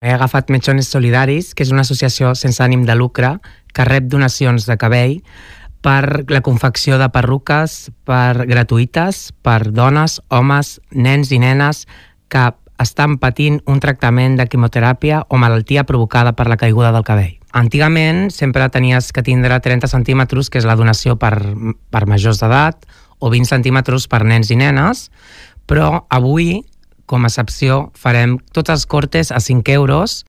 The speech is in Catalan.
He agafat Mechones Solidaris, que és una associació sense ànim de lucre que rep donacions de cabell per la confecció de perruques gratuïtes per dones, homes, nens i nenes que estan patint un tractament de quimioteràpia o malaltia provocada per la caiguda del cabell. Antigament sempre tenies que tindre 30 centímetres, que és la donació per majors d'edat, o 20 centímetres per nens i nenes, però avui, com a excepció, farem tots els cortes a 5 euros